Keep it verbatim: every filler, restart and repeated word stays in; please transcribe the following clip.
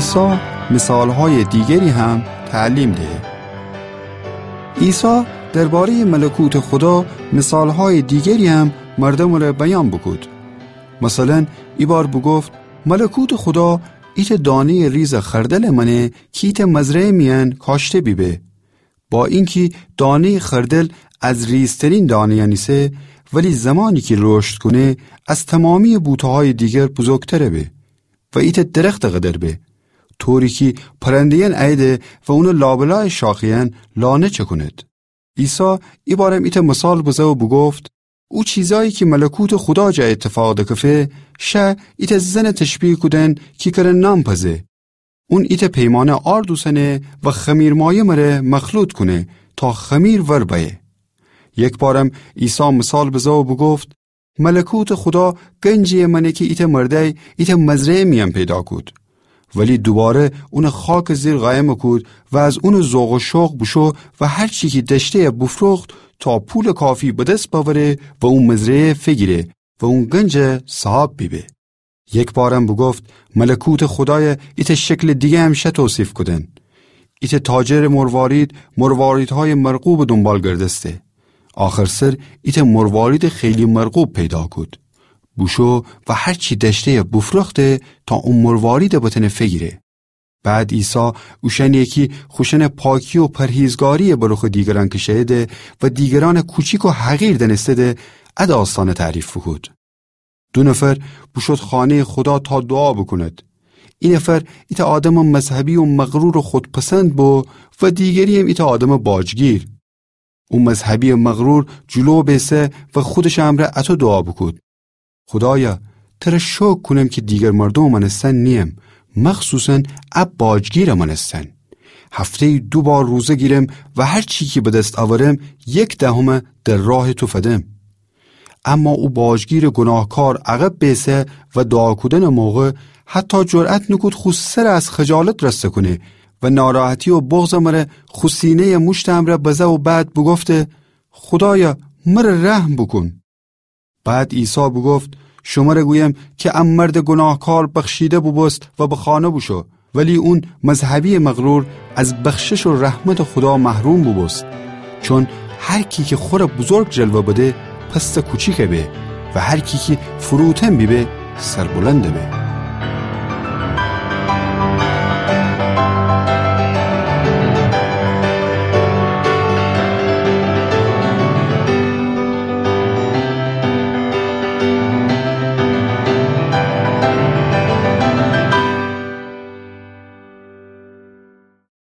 عیسی مثال‌های دیگری هم تعلیم دهه. عیسی دربارهٔ ملکوتٚ خدا مثال‌های دیگری هم مردمٚ ره بیان بوکود. مثلاً، ایبار بوگفت: ملکوتٚ خدا ایتأ دانهٔ ریزٚ خردلٚ مأنه کی ایتأ مزرعه میأن کاشته بیبه. با اینکی دانهٔ خردل از ریزترین دانه‌یأن ایسه، ولی زمانی کی رشد کونه، از تمامییٚ بوته‌هایٚ دیگر بزرگتر به و ایتأ درختٚ قدر به، طوری کی پرنده‌یأن اییده و اونٚ لابلایٚ شاخه‌یأن لانه چکونید. عیسی ایبارم ایتأ مثال بزه و بوگفت: او چیزایی کی ملکوتٚ خدا جا ایتفاق دکفه، شه ایتأ زنٚ تشبیه کودن کی کره نان پزه. اون ایتأ پیمانه آرد اوسنه و خمیرمایه مره مخلوط کونه تا خمیر ور بأیه. یکبارم عیسی مثال بزه و بوگفت: ملکوتٚ خدا گنجییٚ مأنه کی ایتأ مردأی ایتأ مزرعه میأن پیدا کود. ولی دوباره اونٚ خاکٚ زیر قایم کود و از اونٚ ذوق و شوق بوشو و هر چی کی دأشته‌یه بوفروخت تا پولٚ کافی به دس بأوره و او مزرعه فیگیره و او گنج صاحب بیبه. یکبارم بوگفت: ملکوتٚ خدای ایتأ شکلٚ دیگه‌یم شه توصیف کودن. ایتأ تاجرٚ مروارید مرواریدهایٚ مرغوبٚ دونبال گردسته. آخرسر ایتأ مرواریدٚ خیلی مرغوب پیدا کود. بوشو و هر چی دأشته‌یه بوفروخته تا او مرواریده بتأنه فیگیره. بعد عیسی اوشأنیی کی خوشأنٚ پاکی و پرهیزگارییه به رخٚ دیگرأن کشه‌ییده و دیگرأنٚ کوچیک و حقیر دأنسته‌ده، ا داستأنه تعریف بوکود. دو نفر بوشود خانه‌یٚ خدا تا دوعا بوکونید. ای نفر ایتأ آدمٚ مذهبی و مغرورٚ خودپسند بو و دیگرییم ایتأ آدمٚ باجگیر. او مذهبییٚ مغرور جلو بیسه و خودشٚ امرأ اطو دوعا بوکود: خدایا، تره شکر کونم کی دیگر مردومٚ مأنستن نییم، مخصوصاً ا باجگیرٚ مأنستن. هفته‌یی دو بار روزه گیرم و هر چی کی به دس اورم، یک دهمه در راهٚ تو فدم. اما او باجگیرٚ گوناهکار عقب بیسه و دوعا کودنٚ موقع حتی جرأت نوکود خو سره از خجالت رسته کونه و ناراحتی و بغضٚ مره خو سینه‌یٚ موشتٚ امرأ بزه و بعد بوگفته: خدایا، مره رحم بوکون. بعد عیسی بوگفت: شمره گویم کی ا مردٚ گوناهکار بخشیده بوبوست و به خانه بوشو، ولی اون مذهبییٚ مغرور از بخشش و رحمتٚ خدا محروم بوبوست. چون هر کی کی خوره بزرگ جلوه بده، پسٚ کوچیک به و هر کی کی فروتن بیبه، سربلند به.